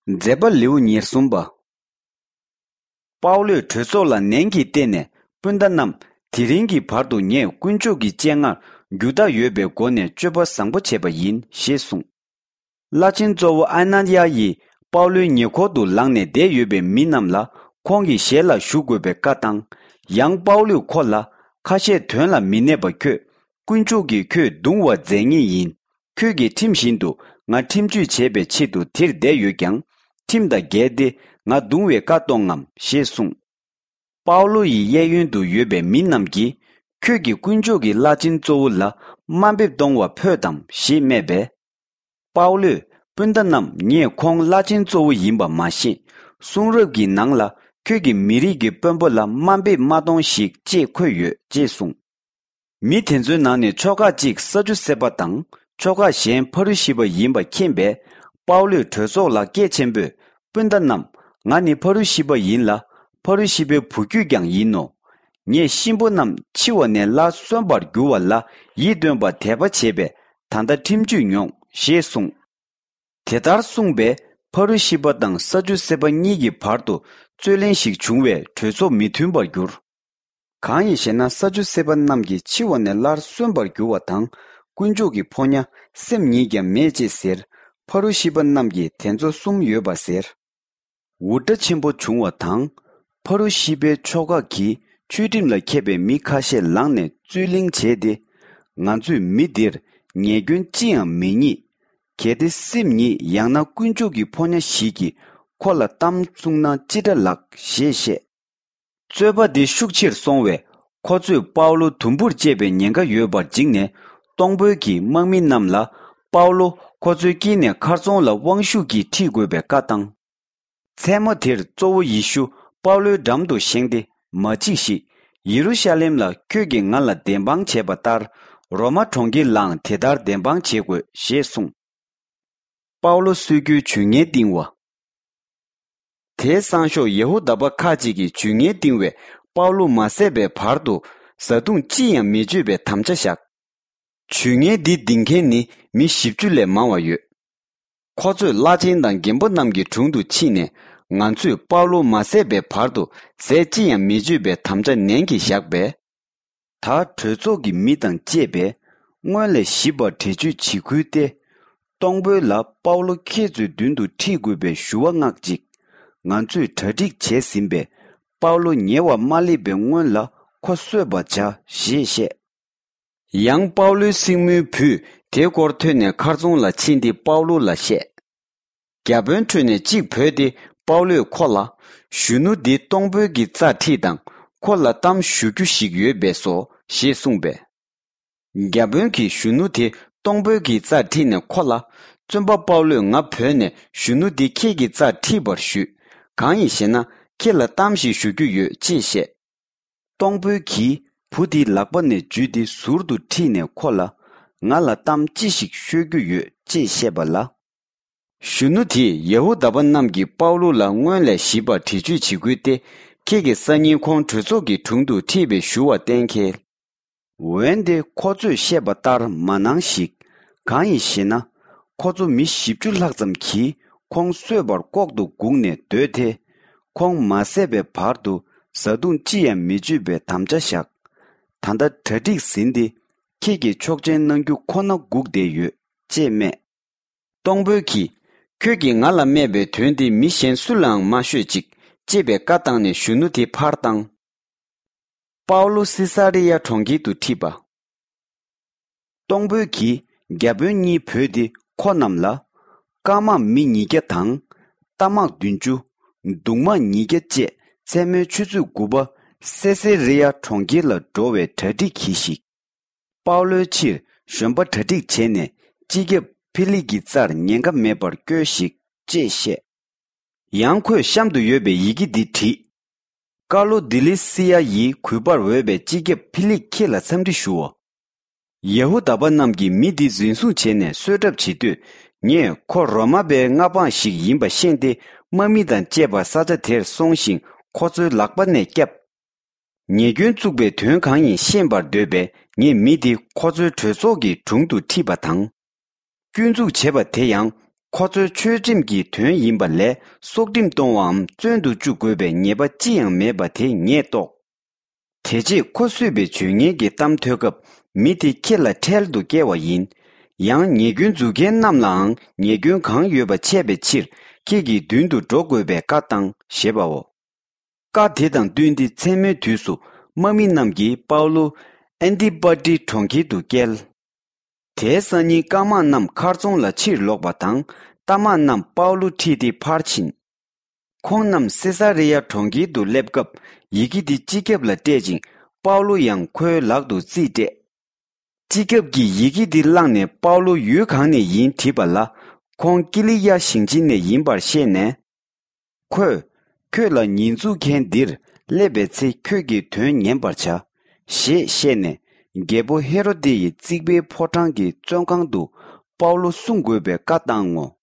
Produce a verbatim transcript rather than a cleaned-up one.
མཛད་པ་ལེའུ་ཉེར་གསུམ་པ། པའུ་ལོས་གྲོས་ཚོགས་ལ་ནན་གྱིས་བལྟས་ནས། སྤུན་ཟླ་རྣམས། དེ་རིང་གི་བར་དུ་ངས་དཀོན་མཆོག་གི་སྤྱན་སྔར་རྒྱུ་དག་ཡོད་པའི་སྒོ་ནས་སྤྱོད་པ་བཟང་པོ་བྱས་པ་ཡིན་ཞེས་གསུངས། བླ་ཆེན་གཙོ་བོ་ཨ་ན་ཡ་ཡིས་པའུ་ལོའི་ཉེ་འཁོར་དུ་ལངས་ནས་བསྡད་ཡོད་པའི་མི་རྣམས་ལ་ཁོང་གི་ཞལ་ལ་ཞུགས་དགོས་པའི་བཀའ་བཏང་། ཡང་པའུ་ལོས་ཁོ་ལ། ཁ་བཤད་དོན་ལ་མི་གནས་པ་ཁྱོད། དཀོན་མཆོག་གིས་ཁྱོད་རྡུང་བར་མཛད་ངེས་ཡིན། ཁྱོད་ཀྱིས་ཁྲིམས་བཞིན་དུ་ང་ཁྲིམས་གཅོད་བྱེད་པའི་ཆེད་དུ་དེར་བསྡད་ཡོད་ཀྱང་། ཁྲིམས་དང་འགལ་ཏེ་ང་རྡུང་བའི་བཀའ་གཏོང་ངམ་ཞེས་གསུངས། པའུ་ལོ་ཡི་གཡས་གཡོན་དུ་ཡོད་པའི་མི་རྣམས་ཀྱིས། ཁྱོད་ཀྱིས་དཀོན་མཆོག་གི་བླ་ཆེན་གཙོ་བོ་ལ་དམའ་འབེབས་གཏོང་བ་ཕོད་དམ་ཞེས་སྨྲས་པས། པའུ་ལོས། སྤུན་ཟླ་རྣམས། ངས་ཁོང་བླ་ཆེན་གཙོ་བོ་ཡིན་པ་མ་ཤེས། གསུང་རབ་ཀྱི་ནང་ལ་ཁྱོད་ཀྱིས་མི་རིགས་ཀྱི་དཔོན་པོ་ལ་དམའ་འབེབས་མ་གཏོང་ཞིག་ཅེས་འཁོད་ཡོད་ཅེས་གསུངས། མི་དེ་ཚོའི་ནང་ནས་ཕྱོགས་ཁག་ཅིག་ས་དུ་སེ་པ་དང་ཕྱོགས་ཁག་གཞན་ཕ་རུ་ཤི་པ་ཡིན་པ་མཁྱེན་པས། པའུ་ལོས་གྲོས་ཚོགས་ལ་སྐད་ཆེན་པོས། སྤུན་ཟླ་རྣམས། ང་ནི་ཕ་རུ་ཤི་པ་ཡིན་ལ། ཕ་རུ་ཤི་པའི་བུ་རྒྱུད་ཀྱང་ཡིན་ནོ། ངས་གཤིན་པོ་རྣམས་འཆི་བ་ནས་སླར་གསོན་པར་འགྱུར་བ་ལ་ཡིད་རྟོན་པ་དད་པ་བྱས་པས་ད་ལྟ་ཁྲིམས་གཅོད་མྱོང་ཞེས་གསུངས། དེ་ལྟར་གསུངས་པས་ཕ་རུ་ཤི་པ་དང་ས་དུ་སེ་པ་གཉིས་ཀྱི་བར་དུ་རྩོད་གླེང་ཞིག་བྱུང་བས་གྲོས་ཚོགས་མི་མཐུན་པར་གྱུར། གང་ཡིན་ཞེ་ན། ས་དུ་སེ་པ་རྣམས་ཀྱིས་འཆི་བ་ནས་སླར་གསོན་པར་འགྱུར་བ་དང་། དཀོན་མཆོག་གི་ཕོ་ཉ་སེམས་ཉིད་ཀྱང་མེད་ཅེས་ཟེར། ཕ་རུ་ཤི་པ་རྣམས་ཀྱིས་དེ་ཚོ་གསུམ་ཡོད་པ་ཟེར། འུར་སྒྲ་ཆེན་པོ་བྱུང་བ་དང་། ཕ་རུ་ཤི་པའི་ཕྱོགས་ཁག་གིས་ཆོས་ཁྲིམས་ལ་མཁས་པའི་མི་ཁ་ཤས་ལངས་ནས་རྩོད་གླེང་བྱས་ཏེ། ང་ཚོས་མི་འདིར་ཉེས་སྐྱོན་ཅི་ཡང་མི་རྙེད། གལ་ཏེ་སེམས་ཉིད་ཡང་ན་དཀོན་མཆོག་གི་ཕོ་ཉ་ཞིག་གིས་ཁོ་ལ་གཏམ་གསུངས་ན་ཅི་འདྲ་ལགས་ཞེས་བཤད། རྩོད་པ་འདི་ཤུགས་ཆེར་སོང་བས། ཁོ་ཚོས་པའུ་ལོ་དུམ་བུར་བཅད་པའི་ཉེན་ཁ་ཡོད་པར་འཇིགས་ནས། གཏོང་ཕོད་ཀྱི་དམག་མི་རྣམས་ལ། པའུ་ལོ་ཁོ་ཚོའི་དཀྱིལ་ནས་མཁར་རྫོང་ལ་དབང་ཤུགས་ཀྱིས་ཁྲིད་དགོས་པའི་བཀའ་བཏང་། མཚན་མོ་དེར་གཙོ་བོ་ཡེ་ཤུ་པའུ་ལོའི་འགྲམ་དུ་བཞེངས་ཏེ། མ་འཇིགས་ཤིག། ཡེ་རུ་ཤ་ལེམ་ལ་ཁྱོད་ཀྱིས་ང་ལ་བདེན་དཔང་བྱས་པ་ལྟར། རོ་མ་གྲོང་ཁྱེར་ལའང་དེ་ལྟར་བདེན་དཔང་བྱེད་དགོས་ཞེས་གསུངས། པའུ་ལོ་གསོད་རྒྱུའི་ཇུས་ངན་བཏིང་བ། དེའི་སང་ཞོགས་ཡེ་ཧུ་དཱ་པ་ཁག་ཅིག་གིས་ཇུས་ངན་བཏིང་བས། པའུ་ལོ་མ་བསད་པའི་བར་དུ་བཟའ་བཏུང་ཅི་ཡང་མི་སྤྱོད་པའི་དམ་བཅའ་བཞག། ཇུས་ངན་འདི་འདིང་མཁན་ནི་མི་བཞི་བཅུ་ལས་མང་བ་ཡོད། ཁོ་ཚོས་བླ་ཆེན་དང་རྒན་པོ་རྣམས་ཀྱི་དྲུང་དུ་ཕྱིན་ནས། ང་ཚོས་པའུ་ལོ་མ་བསད་པའི་བར་དུ་ཟས་ཅི་ཡང་མི་སྤྱོད་པའི་དམ་བཅའ་ནན་གྱིས་བཞག་པས། ད་གྲོས་ཚོགས་ཀྱི་མི་དང་བཅས་པས་སྔོན་ལས་ཞིབ་པར་འགྲེལ་བརྗོད་བྱེད་ཁུལ་ཏེ། གཏོང་ཕོད་ལ་པའུ་ལོ་ཁྱེད་ཚོའི་མདུན་དུ་ཁྲིད་དགོས་པའི་ཞུ་བ་མངགས་ཅིག། ང་ཚོས་གྲ་སྒྲིག་བྱས་ཟིན་པས། པའུ་ལོ་ཉེ་བར་མ་སླེབས་པའི་སྔོན་ལ་ཁོ་གསོད་པར་བྱ་ཞེས་བཤད། ཡང་པའུ་ལོའི་སྲིང་མོའི་བུས་དེའི་སྐོར་ཐོས་ནས་མཁར་རྫོང་ལ་ཕྱིན་ཏེ་པའུ་ལོ་ལ་བཤད། བརྒྱ་དཔོན་ཁྲོད་ནས་གཅིག་བོས་ཏེ་པའུ་ལོས་ཁོ་ལ། གཞོན་ནུ་འདི་གཏོང་ཕོད་ཀྱི་རྩར་ཁྲིད་དང་། ཁོ་ལ་གཏམ་ཞུ་རྒྱུ་ཞིག་ཡོད་པས་སོ་ཞེས་གསུངས་པས། བརྒྱ་དཔོན་གྱིས་གཞོན་ནུ་དེ་གཏོང་ཕོད་ཀྱི་རྩར་ཁྲིད་ནས་ཁོ་ལ། བཙོན་པ་པའུ་ལོས་ང་བོས་ནས་གཞོན་ནུ་འདི་ཁྱེད་ཀྱི་རྩར་ཁྲིད་པར་ཞུས། གང་ཡིན་ཞེ་ན། ཁྱེད་ལ་གཏམ་ཞིག་ཞུ་རྒྱུ་ཡོད་ཅེས་བཤད། གཏོང་ཕོད་ཀྱིས་བུ་དེའི་ལག་པ་ནས་འཇུས་ཏེ་ཟུར་དུ་ཁྲིད་ནས་ཁོ་ལ། ང་ལ་གཏམ་ཅི་ཞིག་ཤོད་རྒྱུ་ཡོད་ཅེས་བཤད་པ་ལ། གཞོན་ནུ་དེས་ཡེ་ཧུ་དཱ་པ་རྣམས་ཀྱིས་པའུ་ལུ་ལ་སྔོན་ལས་ཞིབ་པར་འགྲེལ་བརྗོད་བྱེད་ཁུལ་ཏེ། ཁྱེད་ཀྱིས་སང་ཉིན་ཁོང་གྲོས་ཚོགས་ཀྱི་དྲུང་དུ་ཁྲིད་པའི་ཞུ་བ་གཏན་འཁེལ། འོན་ཏེ་ཁོ་ཚོས་བཤད་པ་ལྟར་མ་གནང་ཞིག། གང་ཡིན་ཞེ་ན། ཁོ་ཚོ་མི་བཞི་བཅུ་ལྷག་ཙམ་གྱིས་ཁོང་གསོད་པར་ལྐོག་ཏུ་སྒུག་ནས་སྡོད་དེ། ཁོང་མ་བསད་པའི་བར་དུ་བཟའ་བཏུང་ཅི་ཡང་མི་སྤྱོད་པའི་དམ་བཅའ་བཞག། ད་ལྟ་གྲ་སྒྲིག་ཟིན་ཏེ། ཁྱེད་ཀྱི་ཆོག་མཆན་གནང་རྒྱུ་ཁོ་ན་སྒུག་བསྡད་ཡོད་ཅེས་སྨྲས། གཏོང་ཕོད་ཀྱིས། ཁྱོད་ཀྱིས་ང་ལ་སྨྲས་པའི་དོན་དེ་མི་གཞན་སུ་ལའང་མ་ཤོད་ཅིག། ཅེས་པའི་བཀའ་བཏང་ནས་གཞོན་ནུ་དེ་ཕར་བཏང་། པའུ་ལུ་སི་ས་རི་ཡ་གྲོང་ཁྱེར་དུ་ཁྲིད་པ། གཏོང་ཕོད་ཀྱིས་བརྒྱ་དཔོན་གཉིས་བོས་ཏེ་ཁོ་རྣམས་ལ། རྐང་དམག་མི་ཉིས་བརྒྱ་དང་། རྟ་དམག་བདུན་ཅུ། མདུང་དམག་ཉིས་བརྒྱ་བཅས་མཚན་མོའི་ཆུ་ཚོད་དགུ་པ་སི་ས་རི་ཡ་གྲོང་ཁྱེར་ལ་འགྲོ་བའི་གྲ་སྒྲིག་གྱིས་ཤིག། པའུ་ལོའི་ཕྱིར་གཞོན་པ་གྲ་སྒྲིག་བྱས་ནས་སྤྱི་ཁྱབ་ཕི་ལིག་གི་རྩར་ཉེན་ཁ་མེད་པར་སྐྱོལ་ཞིག་ཅེས་བཤད། ཡང་ཁོས་གཤམ་དུ་ཡོད་པའི་ཡི་གེ་འདི་བྲིས། ཀ་ལོ་དི་ལི་སི་ཡ་ཡིས་གུས་པར་འོས་པའི་སྤྱི་ཁྱབ་ཕི་ལིག་ཁྱེད་ལ་འཚམས་འདྲི་ཞུའོ། ཡེ་ཧུ་དཱ་པ་རྣམས་ཀྱིས་མི་འདི་འཛིན་བཟུང་བྱས་ནས་གསོད་གྲབས་བྱེད་དུས། ངས་ཁོ་རོ་མ་པའི་མངའ་འབངས་ཤིག་ཡིན་པ་ཤེས་ཏེ། དམག་མི་དང་བཅས་པ་ས་ཆ་དེར་སོང་ཞིང་ཁོ་ཚོའི་ལག་པ་ནས་བསྐྱབས། ཉེས་སྐྱོན་བཙུགས་པའི་དོན་གང་ཡིན་ཤེས་པར་འདོད་པས། ངས་མི་འདི་ཁོ་ཚོའི་གྲོས་ཚོགས་ཀྱི་དྲུང་དུ་ཁྲིད་པ་དང་། སྐྱོན་འཛུགས་བྱས་པ་དེ་ཡང་ ཁོ་ཚོའི་ཆོས་ཁྲིམས་ཀྱི་དོན་ཡིན་པ་ལས་སྲོག་ཁྲིམས་གཏོང་བའམ་བཙོན་དུ་བཅུག་དགོས་པའི་ཉེས་པ་ཅི་ཡང་མེད་པ་དེ་ངས་རྟོགས། དེ་རྗེས་ཁོ་གསོད་པའི་ཇུས་ངན་གྱི་གཏམ་ཐོས་སྐབས་མི་དེ་ཁྱེད་ལ་འཕྲལ་དུ་བསྐྱལ་བ་ཡིན། ཡང་ཉེས་སྐྱོན་འཛུགས་མཁན་རྣམས་ལའང་ཉེས་སྐྱོན་གང་ཡོད་པ་འཆད་པའི་ཕྱིར་ཁྱེད་ཀྱི་མདུན་དུ་འགྲོ་དགོས་པའི་བཀའ་བཏང་ཞེས་པའོ། བཀའ་དེ་དང་བསྟུན་ཏེ་མཚན་མོའི་དུས་སུ་དམག་མི་རྣམས་ཀྱིས་པའུ་ལུ་ཨན་ཏི་པ་ཏི་གྲོང་ཁྱེར་དུ་བསྐྱལ། དེའི་སང་ཉིན་ཀརྨ་རྣམས་མཁར་རྫོང་ལ་ཕྱིར་ལོག་པ་དང་རྟ་དམག་རྣམས་པའུ་ལུ་ཁྲིད་དེ་ཕར་ཕྱིན། ཁོང་རྣམས་སེ་ས་རི་ཡ་གྲོང་ཁྱེར་དུ་སླེབས་སྐབས་ཡི་གེ་དེ་སྤྱི་ཁྱབ་ལ་སྤྲད་ཅིང་པའུ་ལུ་ཡང་ཁོའི་ལག་ཏུ་རྩིས་སྤྲད། སྤྱི་ཁྱབ་ཀྱིས་ཡི་གེ་འདི་བླངས་ནས་པའུ་ལོ་ཡུལ་གང་ནས་ཡིན་དྲིས་པ་ལ། ཁོང་ཀི་ལི་ཡ་ཞིང་ཆེན་ནས་ཡིན་པར་བཤད་ནས། ཁོས། ཁྱོད་ལ་ཉེས་འཛུགས་མཁན་འདིར་སླེབས་པའི་ཚེ་ཁྱོད་ཀྱིས་དོན་ཉན་པར་བྱ། ཞེས་བཤད་ནས། རྒྱལ་པོ་ཧེ་རོ་དེ་ཡི་རྩིག་པའི་ཕོ་བྲང་གི་བཙོན་ཁང་དུ་པའུ་ལོ་སྲུང་དགོས་པའི་བཀའ་བཏང་ངོ་།